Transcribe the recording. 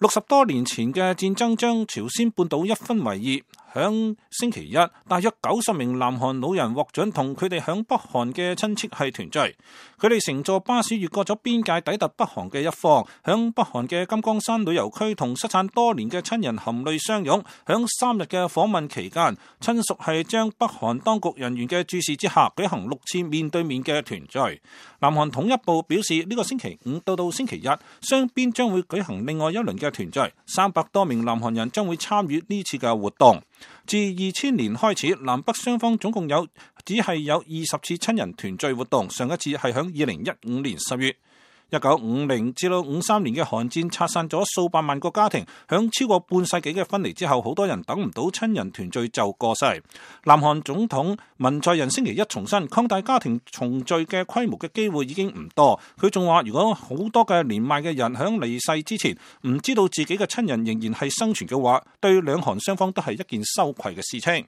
60多年前嘅戰爭將朝鮮半島一分為二，響星期一，大約90名南韓老人獲准同佢哋響北韓嘅親戚係團聚。佢哋乘坐巴士越過咗邊界，抵達北韓嘅一方，響北韓嘅金剛山旅遊區同失散多年嘅親人含淚相擁。響3日嘅訪問期間，親屬係將北韓當局人員嘅注視之下，舉行6次面對面嘅團聚。南韓統一部表示，呢個星期5到星期日，雙邊將會舉行另外一輪嘅團聚，300多名南韓人將會參與呢次嘅活動。自2000年開始，南北雙方總共只係有20次親人團聚活動，上一次係響2015年10月。1950至53年嘅韓戰拆散咗數百萬個家庭，響超過半世紀嘅分離之後，好多人等唔到親人團聚就過世。南韓總統文在寅星期一重申，擴大家庭重聚嘅規模嘅機會已經唔多。佢仲話，如果好多嘅年邁嘅人響離世之前唔知道自己嘅親人仍然係生存嘅話，對兩韓雙方都係一件羞愧嘅事情。